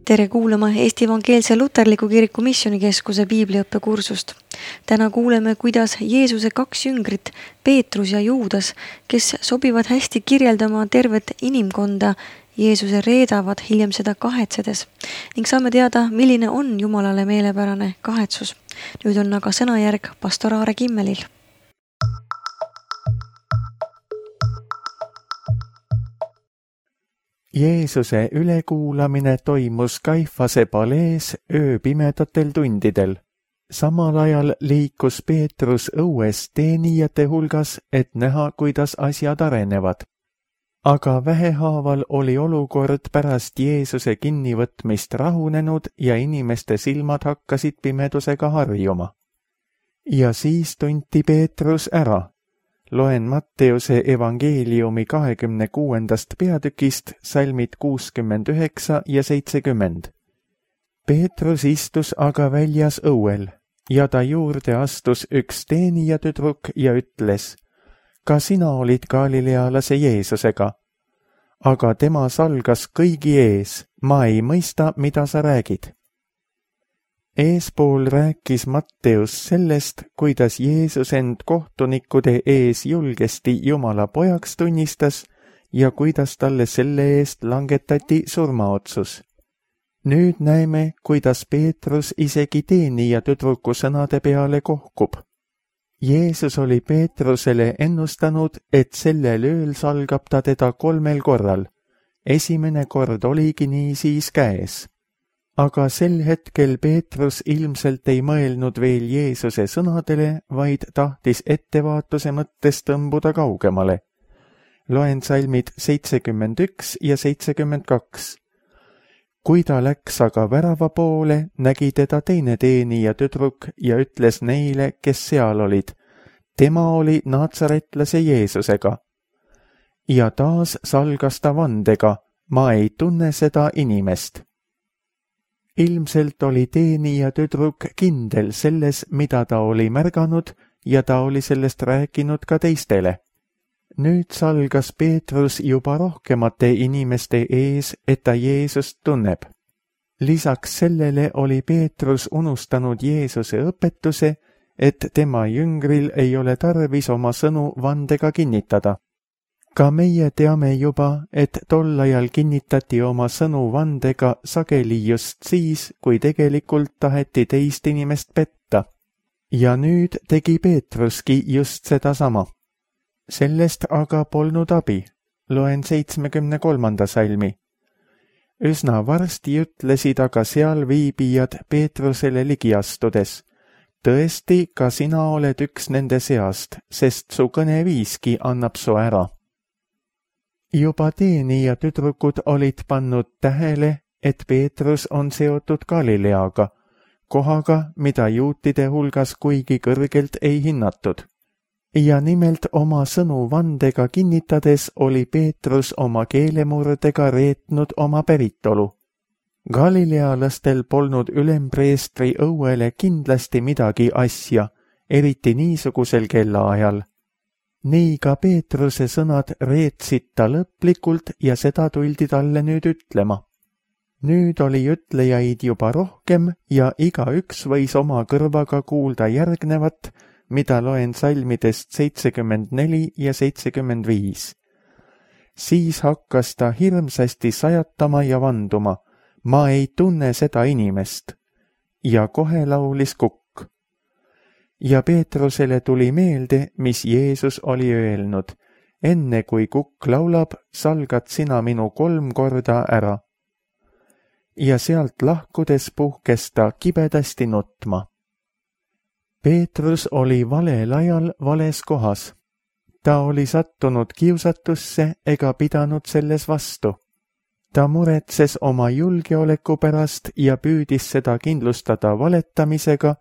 Tere kuulama Eesti Evangeelse Luterliku Kiriku Missioonikeskuse piibliõppekursust. Täna kuuleme, kuidas Jeesuse kaks jüngrit, Peetrus ja Juudas, kes sobivad hästi kirjeldama tervet inimkonda, Jeesuse reedavad hiljem seda kahetsedes ning saame teada, milline on Jumalale meelepärane kahetsus. Nüüd on aga sõnajärg pastor Aare Kimmelil. Jeesuse ülekuulamine toimus Kaifase palees ööpimedatel tundidel. Samal ajal liikus Peetrus õues teenijate hulgas, et näha, kuidas asjad arenevad. Aga vähehaaval oli olukord pärast Jeesuse kinnivõtmist rahunenud ja inimeste silmad hakkasid pimedusega harjuma. Ja siis tunti Peetrus ära. Loen Matteuse evangeeliumi 26. peatükist salmid 69 ja 70. Peetrus istus aga väljas õuel ja ta juurde astus üks teenijatüdruk ja ütles, ka sina olid galilealase Jeesusega. Aga tema salgas kõigi ees, ma ei mõista, mida sa räägid. Eespool rääkis Matteus sellest, kuidas Jeesus end kohtunikude ees julgesti Jumala pojaks tunnistas ja kuidas talle selle eest langetati surmaotsus. Nüüd näeme, kuidas Peetrus isegi teenija tüdruku sõnade peale kohkub. Jeesus oli Peetrusele ennustanud, et sellel ööl salgab ta teda 3 korral. Esimene kord oligi nii siis käes. Aga sel hetkel Peetrus ilmselt ei mõelnud veel Jeesuse sõnadele, vaid tahtis ettevaatuse mõttes tõmbuda kaugemale. Loen salmid 71 ja 72. Kui ta läks aga värava poole, nägi teda teine teenija tüdruk ja ütles neile, kes seal olid. Tema oli naatsaretlase Jeesusega. Ja taas salgas ta vandega, ma ei tunne seda inimest. Ilmselt oli teenija tüdruk kindel selles, mida ta oli märganud ja ta oli sellest rääkinud ka teistele. Nüüd salgas Peetrus juba rohkemate inimeste ees, et ta Jeesust tunneb. Lisaks sellele oli Peetrus unustanud Jeesuse õpetuse, et tema jüngril ei ole tarvis oma sõnu vandega kinnitada. Ka meie teame juba, et tol ajal kinnitati oma sõnu vandega sageli just siis, kui tegelikult taheti teist inimest petta. Ja nüüd tegi Peetruski just sedasama. Sellest aga polnud abi. Loen 73. salmi. Üsna varsti ütlesid aga seal viibijad Peetrusele ligi astudes. Tõesti, ka sina oled üks nende seast, sest su kõneviiski annab su ära. Juba teenija tüdrukud olid pannud tähele, et Peetrus on seotud Galileaga, kohaga, mida juutide hulgas kuigi kõrgelt ei hinnatud. Ja nimelt oma sõnu vandega kinnitades oli Peetrus oma keelemurdega reetnud oma päritolu. Galilealastel polnud ülempreestri õuele kindlasti midagi asja, eriti niisugusel kellaajal. Nii ka Peetruse sõnad reetsid ta lõplikult ja seda tuldi talle nüüd ütlema. Nüüd oli ütlejaid juba rohkem ja igaüks võis oma kõrvaga kuulda järgnevat, mida loen salmidest 74 ja 75. Siis hakkas ta hirmsasti sajatama ja vanduma, ma ei tunne seda inimest. Ja kohe laulis kukk. Ja Peetrusele tuli meelde, mis Jeesus oli öelnud. Enne kui kukk laulab, salgad sina minu 3 korda ära. Ja sealt lahkudes puhkes ta kibedasti nutma. Peetrus oli valel ajal vales kohas. Ta oli sattunud kiusatusse ega pidanud selles vastu. Ta muretses oma julgeoleku pärast ja püüdis seda kindlustada valetamisega,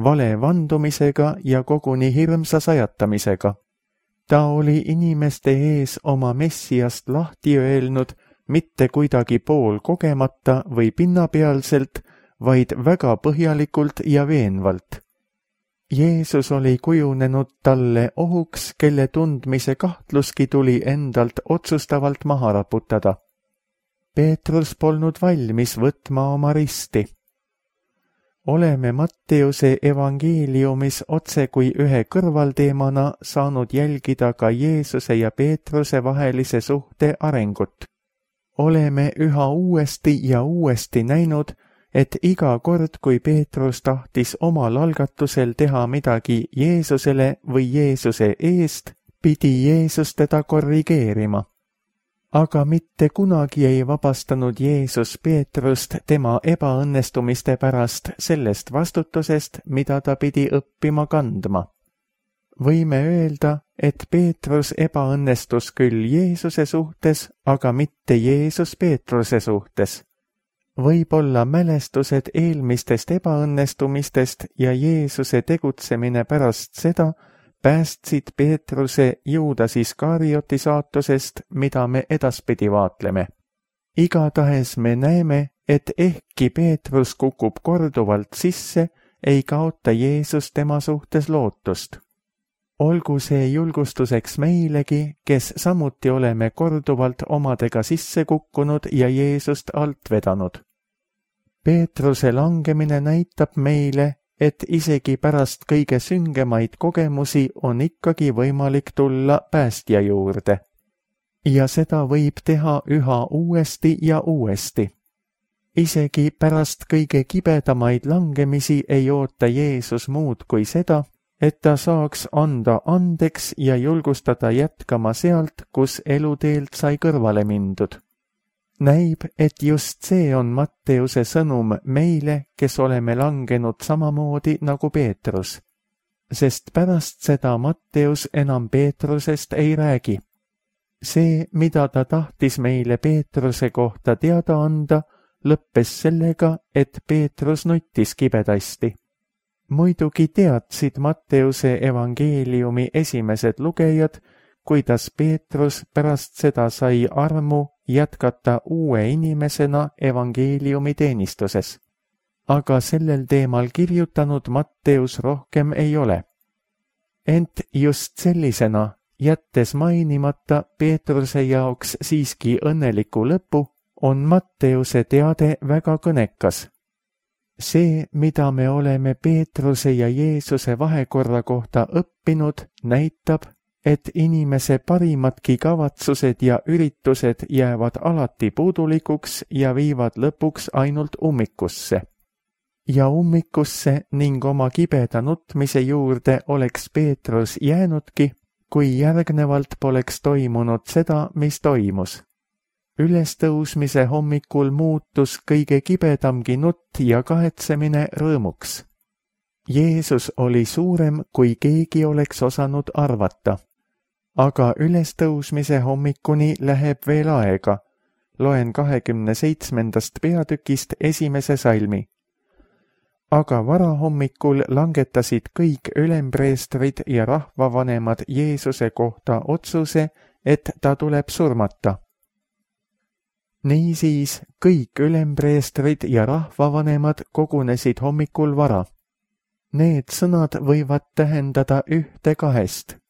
vale vandumisega ja koguni hirmsa sajatamisega. Ta oli inimeste ees oma Messiast lahti öelnud, mitte kuidagi poolkogemata või pinnapealselt, vaid väga põhjalikult ja veenvalt. Jeesus oli kujunenud talle ohuks, kelle tundmise kahtluski tuli endalt otsustavalt maha raputada. Peetrus polnud valmis võtma oma risti. Oleme Matteuse evangeeliumis otse kui ühe kõrvalteemana saanud jälgida ka Jeesuse ja Peetruse vahelise suhte arengut. Oleme üha uuesti ja uuesti näinud, et iga kord, kui Peetrus tahtis omal algatusel teha midagi Jeesusele või Jeesuse eest, pidi Jeesus teda korrigeerima. Aga mitte kunagi ei vabastanud Jeesus Peetrust tema ebaõnnestumiste pärast sellest vastutusest, mida ta pidi õppima kandma. Võime öelda, et Peetrus ebaõnnestus küll Jeesuse suhtes, aga mitte Jeesus Peetruse suhtes. Võib-olla mälestused eelmistest ebaõnnestumistest ja Jeesuse tegutsemine pärast seda päästsid Peetruse Juudas Iskarioti saatusest, mida me edaspidi vaatleme. Igatahes me näeme, et ehkki Peetrus kukub korduvalt sisse, ei kaota Jeesus tema suhtes lootust. Olgu see julgustuseks meilegi, kes samuti oleme korduvalt omadega sisse kukkunud ja Jeesust alt vedanud. Peetruse langemine näitab meile, et isegi pärast kõige süngemaid kogemusi on ikkagi võimalik tulla päästja juurde. Ja seda võib teha üha uuesti ja uuesti. Isegi pärast kõige kibedamaid langemisi ei oota Jeesus muud kui seda, et ta saaks anda andeks ja julgustada jätkama sealt, kus eluteelt sai kõrvale mindud. Näib, et just see on Matteuse sõnum meile, kes oleme langenud samamoodi nagu Peetrus. Sest pärast seda Matteus enam Peetrusest ei räägi. See, mida ta tahtis meile Peetruse kohta teada anda, lõppes sellega, et Peetrus nuttis kibedasti. Muidugi teadsid Matteuse evangeeliumi esimesed lugejad, kuidas Peetrus pärast seda sai armu jätkata uue inimesena evangeeliumi teenistuses. Aga sellel teemal kirjutanud Matteus rohkem ei ole. Ent just sellisena, jättes mainimata Peetruse jaoks siiski õnneliku lõpu, on Matteuse teade väga kõnekas. See, mida me oleme Peetruse ja Jeesuse vahekorra kohta õppinud, näitab, et inimese parimadki kavatsused ja üritused jäävad alati puudulikuks ja viivad lõpuks ainult ummikusse. Ja ummikusse ning oma kibeda nutmise juurde oleks Peetrus jäänudki, kui järgnevalt poleks toimunud seda, mis toimus. Ülestõusmise hommikul muutus kõige kibedamgi nutt ja kahetsemine rõõmuks. Jeesus oli suurem, kui keegi oleks osanud arvata. Aga ülestõusmise hommikuni läheb veel aega. Loen 27. peatükist 1. salmi. Aga varahommikul langetasid kõik ülempreestrid ja rahvavanemad Jeesuse kohta otsuse, et ta tuleb surmata. Niisiis kõik ülempreestrid ja rahvavanemad kogunesid hommikul vara. Need sõnad võivad tähendada ühte kahest.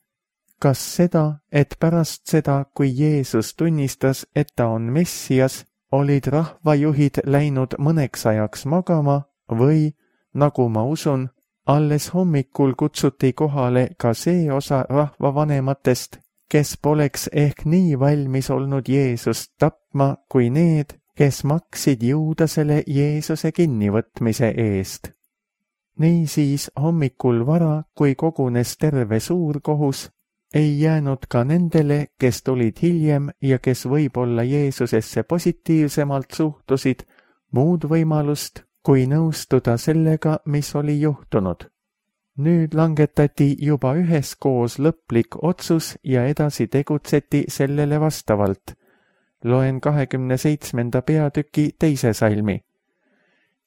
Kas seda, et pärast seda, kui Jeesus tunnistas, et ta on Messias, olid rahvajuhid läinud mõneks ajaks magama või, nagu ma usun, alles hommikul kutsuti kohale ka see osa rahvavanematest, kes poleks ehk nii valmis olnud Jeesust tapma kui need, kes maksid Juudasele Jeesuse kinnivõtmise eest. Niisiis hommikul vara, kui kogunes terve suurkohus, ei jäänud ka nendele, kes tulid hiljem ja kes võib-olla Jeesusesse positiivsemalt suhtusid, muud võimalust, kui nõustuda sellega, mis oli juhtunud. Nüüd langetati juba üheskoos lõplik otsus ja edasi tegutseti sellele vastavalt. Loen 27. peatüki 2. salmi.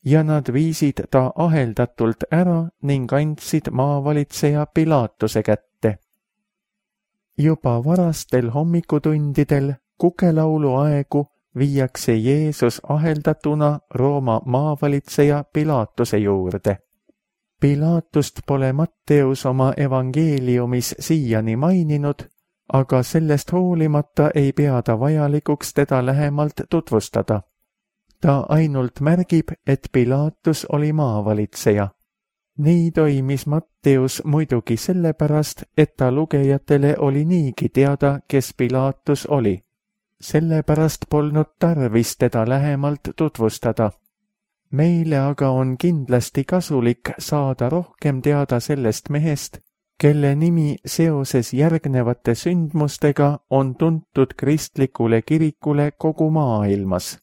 Ja nad viisid ta aheldatult ära ning andsid maavalitseja Pilaatuse kätte. Juba varastel hommikutundidel kukelaulu aegu viiakse Jeesus aheldatuna Rooma maavalitseja Pilaatuse juurde. Pilaatust pole Matteus oma evangeeliumis siiani maininud, aga sellest hoolimata ei pea ta vajalikuks teda lähemalt tutvustada. Ta ainult märgib, et Pilaatus oli maavalitseja. Nii toimis Matteus muidugi sellepärast, et ta lugejatele oli niigi teada, kes Pilaatus oli. Sellepärast polnud tarvis teda lähemalt tutvustada. Meile aga on kindlasti kasulik saada rohkem teada sellest mehest, kelle nimi seoses järgnevate sündmustega on tuntud kristlikule kirikule kogu maailmas.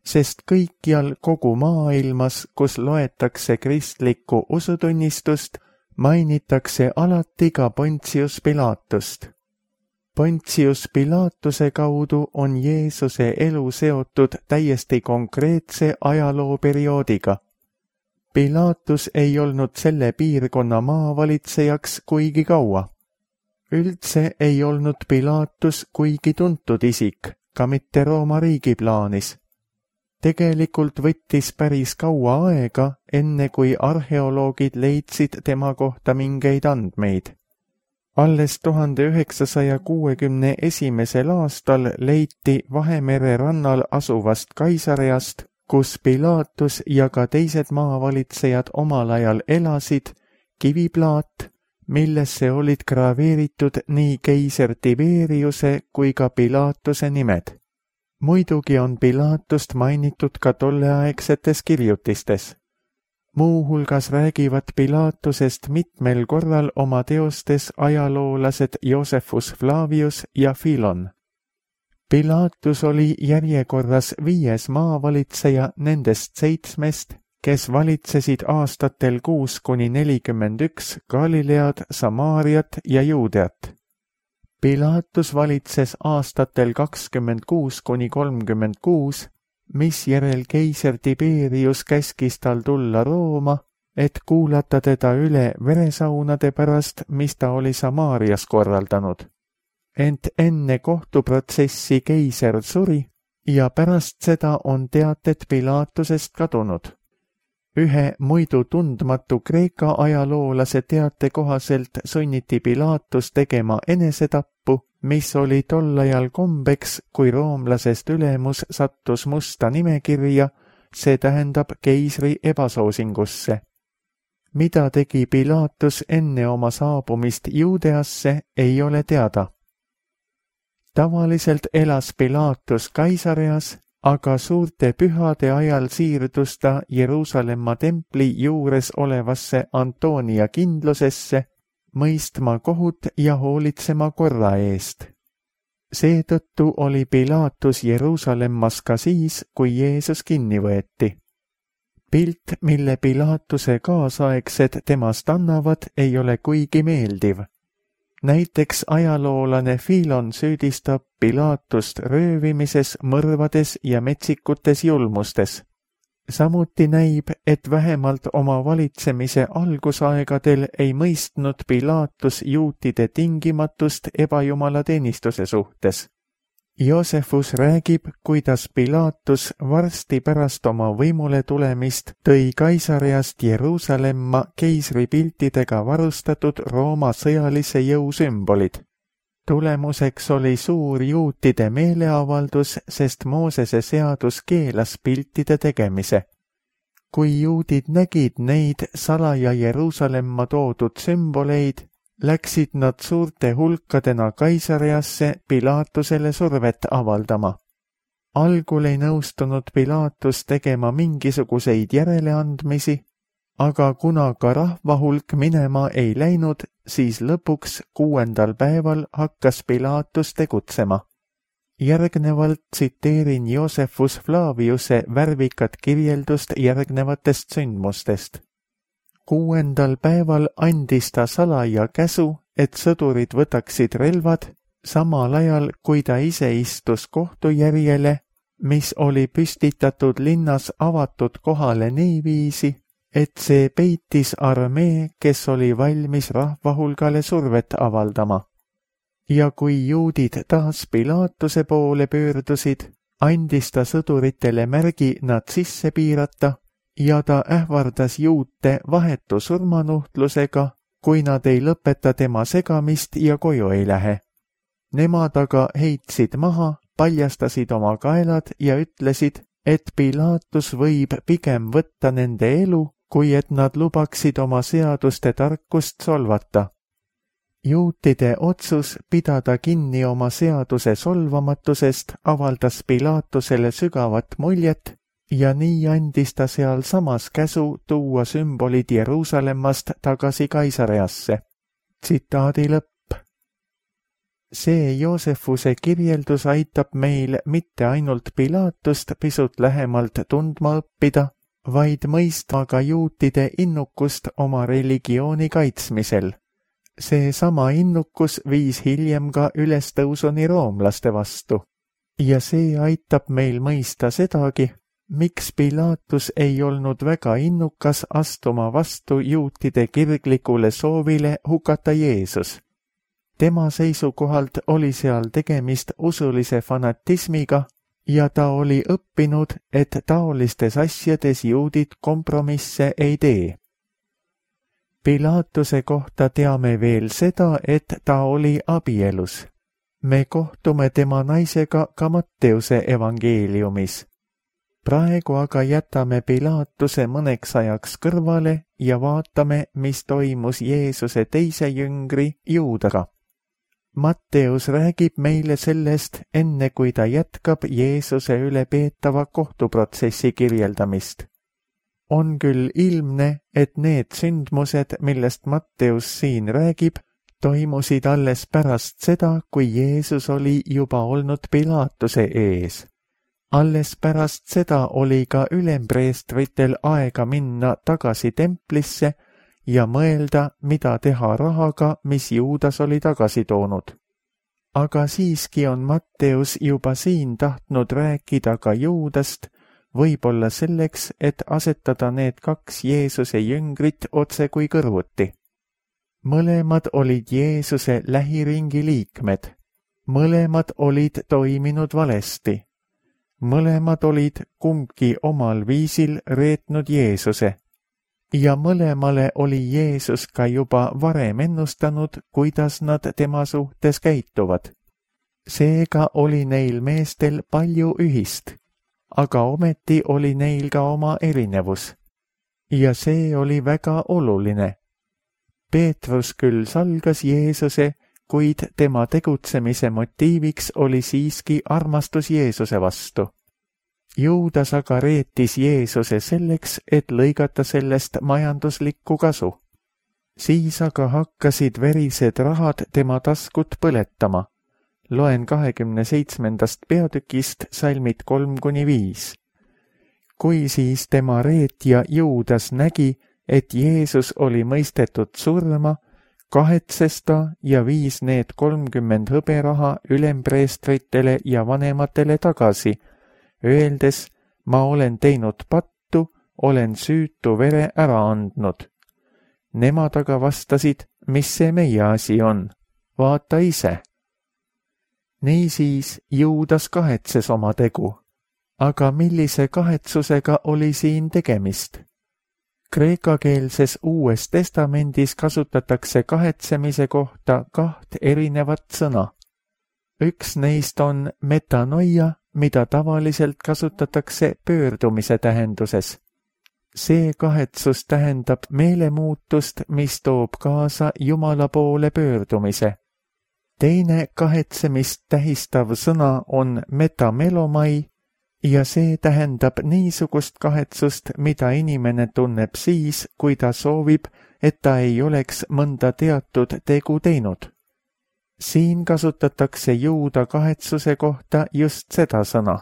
Sest kõikjal kogu maailmas, kus loetakse kristlikku usutunnistust, mainitakse alati ka Pontius Pilatust. Pontius Pilatuse kaudu on Jeesuse elu seotud täiesti konkreetse ajalooperioodiga. Pilatus ei olnud selle piirkonna maavalitsejaks kuigi kaua. Üldse ei olnud Pilatus kuigi tuntud isik, ka mitte Rooma riigi plaanis. Tegelikult võttis päris kaua aega, enne kui arheoloogid leidsid tema kohta mingeid andmeid. Alles 1961. aastal leiti Vahemere rannal asuvast Kaisareast, kus Pilatus ja ka teised maavalitsejad omal ajal elasid, kiviplaat, millesse olid graveeritud nii keiser Tiberiuse kui ka Pilatuse nimed. Muidugi on Pilatust mainitud ka tolleaegsetes kirjutistes. Muuhulgas räägivad Pilatusest mitmel korral oma teostes ajaloolased Josephus Flavius ja Philon. Pilatus oli järjekorras 5. maavalitseja nendest 7, kes valitsesid aastatel 6–41 Galilead, Samaariat ja Juudeat. Pilatus valitses aastatel 26–36, misjärel keiser Tiberius käskis tal tulla Rooma, et kuulata teda üle veresaunade pärast, mis ta oli Samaarias korraldanud. Ent enne kohtuprotsessi keiser suri ja pärast seda on teated Pilatusest kadunud. Ühe muidu tundmatu Kreeka ajaloolase teate kohaselt sunniti Pilatus tegema enesetappu, mis oli tol ajal kombeks, kui roomlasest ülemus sattus musta nimekirja, see tähendab keisri ebasoosingusse. Mida tegi Pilatus enne oma saabumist Juudeasse, ei ole teada. Tavaliselt elas Pilatus Kaisareas, aga suurte pühade ajal siirdus ta Jeruusalemma templi juures olevasse Antonia kindlusesse, mõistma kohut ja hoolitsema korra eest. Seetõttu oli Pilatus Jeruusalemmas ka siis, kui Jeesus kinni võeti. Pilt, mille Pilatuse kaasaegsed temast annavad, ei ole kuigi meeldiv. Näiteks ajaloolane Philon süüdistab Pilatust röövimises, mõrvades ja metsikutes julmustes. Samuti näib, et vähemalt oma valitsemise algusaegadel ei mõistnud Pilatus juutide tingimatust ebajumalateenistuse suhtes. Josephus räägib, kuidas Pilatus varsti pärast oma võimule tulemist tõi Kaisareast Jeruusalemma keisripiltidega varustatud Rooma sõjalise jõu sümbolid. Tulemuseks oli suur juutide meeleavaldus, sest Moosese seadus keelas piltide tegemise. Kui juudid nägid neid salaja Jeruusalemma toodud sümboleid, läksid nad suurte hulkadena Kaisareasse Pilatusele survet avaldama. Algul ei nõustunud Pilatus tegema mingisuguseid järeleandmisi, aga kuna ka rahvahulk minema ei läinud, siis lõpuks 6. päeval hakkas Pilatus tegutsema. Järgnevalt tsiteerin Josephus Flaviuse värvikat kirjeldust järgnevatest sündmustest. 6. päeval andis ta salaja käsu, et sõdurid võtaksid relvad, samal ajal kui ta ise istus kohtujärjele, mis oli püstitatud linnas avatud kohale niiviisi, et see peitis armee, kes oli valmis rahvahulgale survet avaldama. Ja kui juudid taas Pilatuse poole pöördusid, andis ta sõduritele märgi nad sisse piirata, ja ta ähvardas juute vahetu surmanuhtlusega, kui nad ei lõpeta tema segamist ja koju ei lähe. Nemad aga heitsid maha, paljastasid oma kaelad ja ütlesid, et Pilaatus võib pigem võtta nende elu, kui et nad lubaksid oma seaduste tarkust solvata. Juutide otsus pidada kinni oma seaduse solvamatusest avaldas Pilaatusele sügavat muljet ja nii andis ta seal samas käsu tuua sümbolid Jeruusalemmast tagasi Kaisareasse. Tsitaadi lõpp. See Joosefuse kirjeldus aitab meil mitte ainult Pilaatust pisut lähemalt tundma õppida, vaid mõistma ka juutide innukust oma religiooni kaitsmisel. See sama innukus viis hiljem ka ülestõusuni roomlaste vastu. Ja see aitab meil mõista sedagi, miks Pilaatus ei olnud väga innukas astuma vastu juutide kirglikule soovile hukata Jeesus. Tema seisukohalt oli seal tegemist usulise fanatismiga ja ta oli õppinud, et taolistes asjades juudid kompromisse ei tee. Pilaatuse kohta teame veel seda, et ta oli abielus. Me kohtume tema naisega ka Matteuse evangeeliumis. Praegu aga jätame Pilaatuse mõneks ajaks kõrvale ja vaatame, mis toimus Jeesuse teise jüngri Juudaga. Matteus räägib meile sellest, enne kui ta jätkab Jeesuse üle peetava kohtuprotsessi kirjeldamist. On küll ilmne, et need sündmused, millest Matteus siin räägib, toimusid alles pärast seda, kui Jeesus oli juba olnud Pilaatuse ees. Alles pärast seda oli ka ülempreestritel aega minna tagasi templisse ja mõelda, mida teha rahaga, mis Juudas oli tagasi toonud. Aga siiski on Matteus juba siin tahtnud rääkida ka Juudast, võib-olla selleks, et asetada need kaks Jeesuse jüngrit otse kui kõrvuti. Mõlemad olid Jeesuse lähiringi liikmed. Mõlemad olid toiminud valesti. Mõlemad olid kumbki omal viisil reetnud Jeesuse. Ja mõlemale oli Jeesus ka juba varem ennustanud, kuidas nad tema suhtes käituvad. Seega oli neil meestel palju ühist, aga ometi oli neil ka oma erinevus. Ja see oli väga oluline. Peetrus küll salgas Jeesuse, kuid tema tegutsemise motiiviks oli siiski armastus Jeesuse vastu. Juudas aga reetis Jeesuse selleks, et lõigata sellest majanduslikku kasu. Siis aga hakkasid verised rahad tema taskut põletama. Loen 27. peatükist salmid 3-5. Kui siis tema reetja Juudas nägi, et Jeesus oli mõistetud surma, kahetses ta ja viis need 30 hõberaha ülempreestritele ja vanematele tagasi, öeldes, ma olen teinud pattu, olen süütu vere ära andnud. Nemad aga vastasid, mis see meie asi on, vaata ise. Niisiis Juudas kahetses oma tegu, aga millise kahetsusega oli siin tegemist? Kreekakeelses Uues Testamendis kasutatakse kahetsemise kohta 2 erinevat sõna. Üks neist on metanoia, mida tavaliselt kasutatakse pöördumise tähenduses. See kahetsus tähendab meelemuutust, mis toob kaasa Jumala poole pöördumise. Teine kahetsemist tähistav sõna on metamelomai ja see tähendab niisugust kahetsust, mida inimene tunneb siis, kui ta soovib, et ta ei oleks mõnda teatud tegu teinud. Siin kasutatakse Juuda kahetsuse kohta just seda sõna.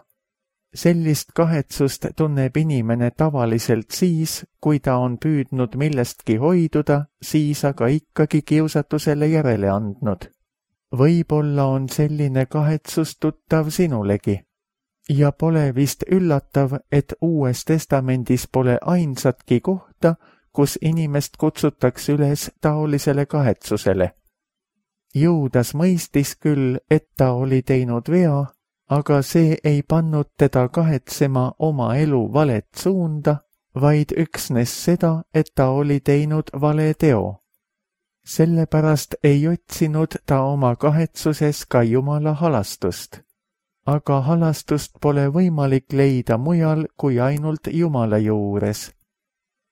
Sellist kahetsust tunneb inimene tavaliselt siis, kui ta on püüdnud millestki hoiduda, siis aga ikkagi kiusatusele järele andnud. Võib-olla on selline kahetsus tuttav sinulegi. Ja pole vist üllatav, et Uues Testamendis pole ainsatki kohta, kus inimest kutsutakse üles taolisele kahetsusele. Juudas mõistis küll, et ta oli teinud vea, aga see ei pannud teda kahetsema oma elu valet suunda, vaid üksnes seda, et ta oli teinud vale teo. Sellepärast ei otsinud ta oma kahetsuses ka Jumala halastust. Aga halastust pole võimalik leida mujal kui ainult Jumala juures.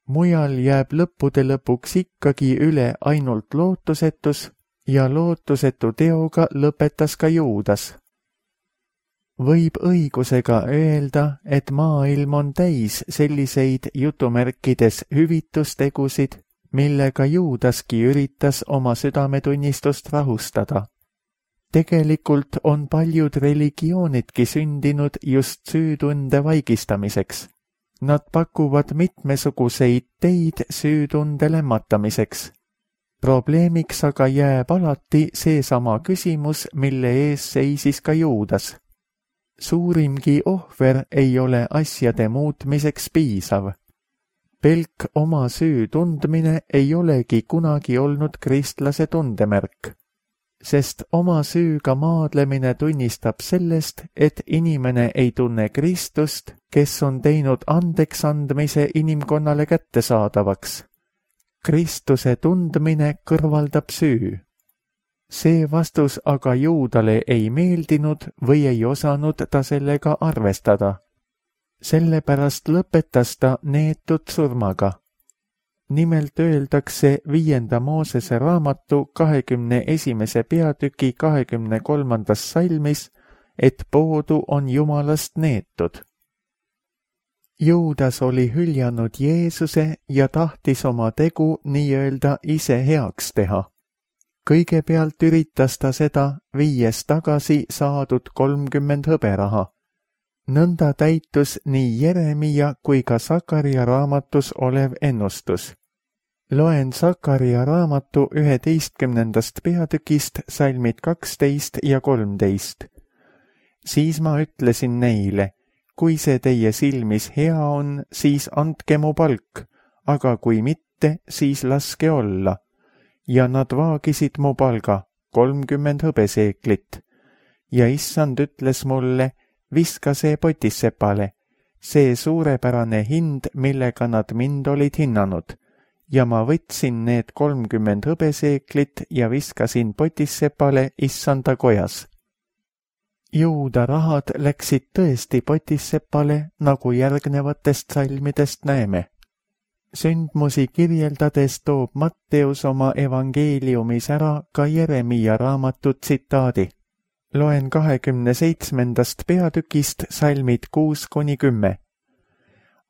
Mujal jääb lõppude lõpuks ikkagi üle ainult lootusetus ja lootusetu teoga lõpetas ka Juudas. Võib õigusega öelda, et maailm on täis selliseid jutumärkides hüvitustegusid, millega Juudaski üritas oma südametunnistust rahustada. Tegelikult on paljud religioonidki sündinud just süütunde vaigistamiseks. Nad pakuvad mitmesuguseid teid süütunde lämmatamiseks. Probleemiks aga jääb alati seesama küsimus, mille ees seisis ka Juudas. Suurimgi ohver ei ole asjade muutmiseks piisav. Pelk oma süü tundmine ei olegi kunagi olnud kristlase tundemärk, sest oma süüga maadlemine tunnistab sellest, et inimene ei tunne Kristust, kes on teinud andeks andmise inimkonnale kättesaadavaks. Kristuse tundmine kõrvaldab süü. See vastus aga Juudale ei meeldinud või ei osanud ta sellega arvestada. Sellepärast lõpetas ta neetud surmaga. Nimelt öeldakse 5. Moosese raamatu 21. peatüki 23. salmis, et poodu on Jumalast neetud. Juudas oli hüljanud Jeesuse ja tahtis oma tegu nii-öelda ise heaks teha. Kõigepealt üritas ta seda, viies tagasi saadud 30 hõberaha. Nõnda täitus nii Jeremia kui ka Sakaria raamatus olev ennustus. Loen Sakaria raamatu 11. peatükist salmid 12 ja 13. Siis ma ütlesin neile, kui see teie silmis hea on, siis andke mu palk, aga kui mitte, siis laske olla. Ja nad vaagisid mu palga, 30 hõbeseeklit. Ja issand ütles mulle, viska see potissepale, see suurepärane hind, millega nad mind olid hinnanud. Ja ma võtsin need 30 hõbeseeklit ja viskasin potissepale issanda kojas. Juuda rahad läksid tõesti potissepale, nagu järgnevatest salmidest näeme. Sündmusi kirjeldades toob Matteus oma evangeeliumis ära ka Jeremia raamatu tsitaadi. Loen 27. peatükist salmid 6-10.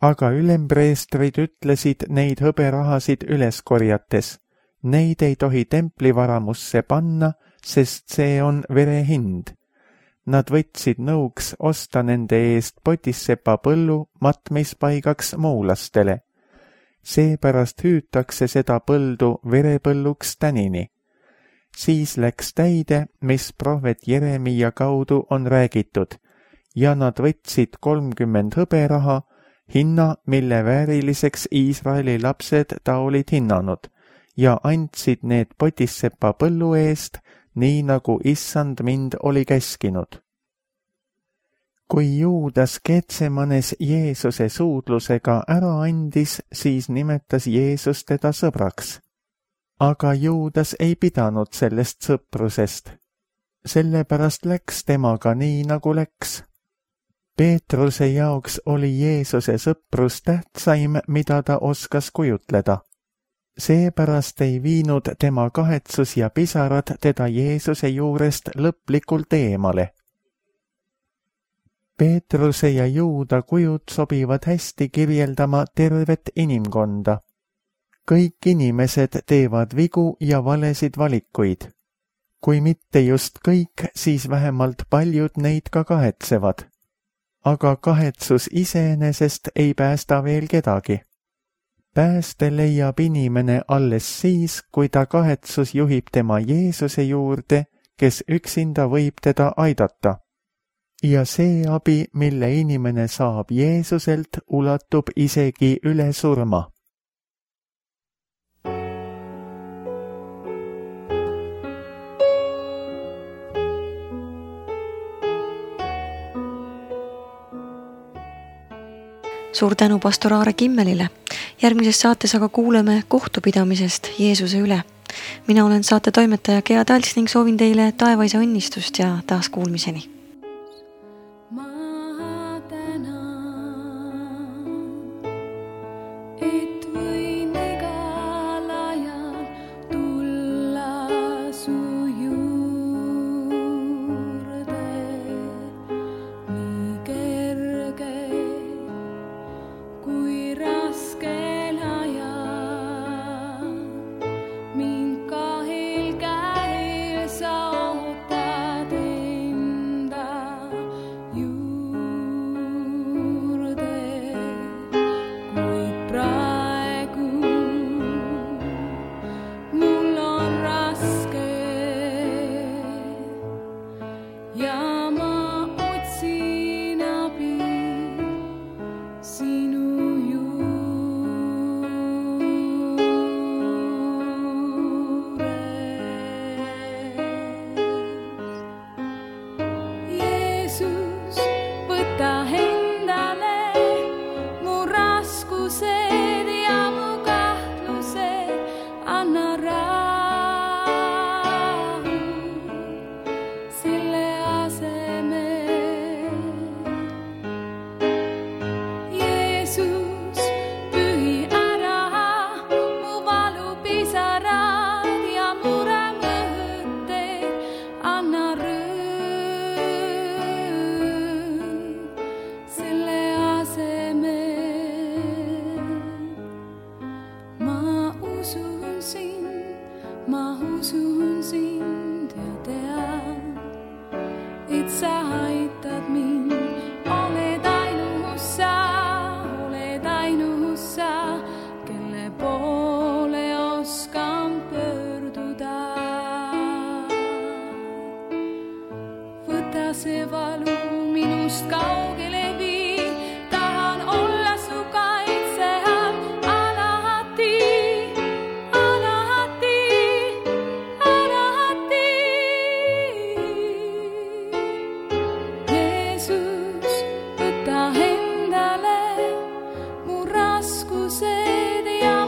Aga ülempreestrid ütlesid neid hõberahasid üles korjates. Neid ei tohi templivaramusse panna, sest see on verehind. Nad võtsid nõuks osta nende eest potissepa põllu matmispaigaks muulastele. Seepärast hüütakse seda põldu verepõlluks tänini. Siis läks täide, mis prohvet Jeremia kaudu on räägitud, ja nad võtsid 30 hõberaha, hinna, mille vääriliseks Iisraeli lapsed ta olid hinnanud, ja andsid need potissepa põllu eest, nii nagu issand mind oli käskinud. Kui Juudas Getsemanes Jeesuse suudlusega ära andis, siis nimetas Jeesus teda sõbraks. Aga Juudas ei pidanud sellest sõprusest. Sellepärast läks temaga nii, nagu läks. Peetruse jaoks oli Jeesuse sõprus tähtsaim, mida ta oskas kujutleda. Seepärast ei viinud tema kahetsus ja pisarad teda Jeesuse juurest lõplikult eemale. Peetruse ja Juuda kujud sobivad hästi kirjeldama tervet inimkonda. Kõik inimesed teevad vigu ja valesid valikuid. Kui mitte just kõik, siis vähemalt paljud neid ka kahetsevad. Aga kahetsus iseenesest ei päästa veel kedagi. Pääste leiab inimene alles siis, kui ta kahetsus juhib tema Jeesuse juurde, kes üksinda võib teda aidata. Ja see abi, mille inimene saab Jeesuselt, ulatub isegi üle surma. Suur tänu pastor Aare Kimmelile. Järgmises saates aga kuuleme kohtupidamisest Jeesuse üle. mina olen saate toimetaja Gea Talts ning soovin teile taevaisa õnnistust ja taas kuulmiseni. See valu minust kaugele vii, tahan olla su kaitse all alati, alati, alati. Jeesus, võta endale mu raskused ja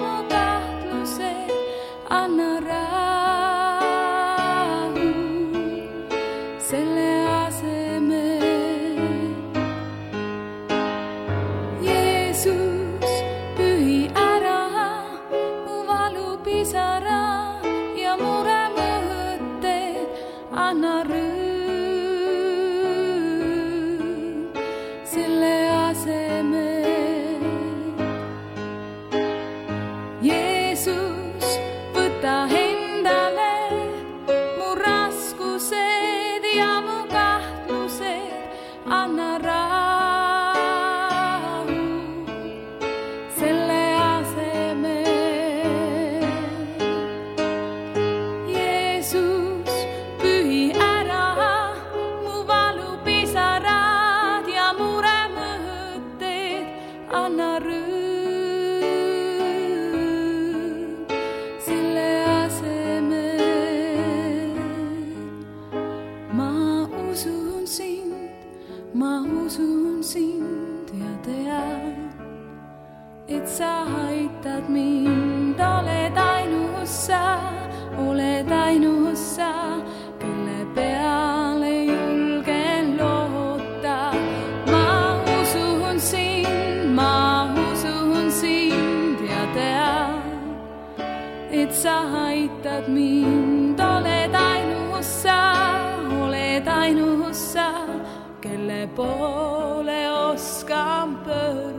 mu kahtlused, anna rahu selle ma usun sind ja tean, et sa aitad mind, oled ainus sa, kelle peale julgen loota. Ma usun sind ja tean, et sa aitad mind, oled ainus sa, kelle poole oskan pöörduda.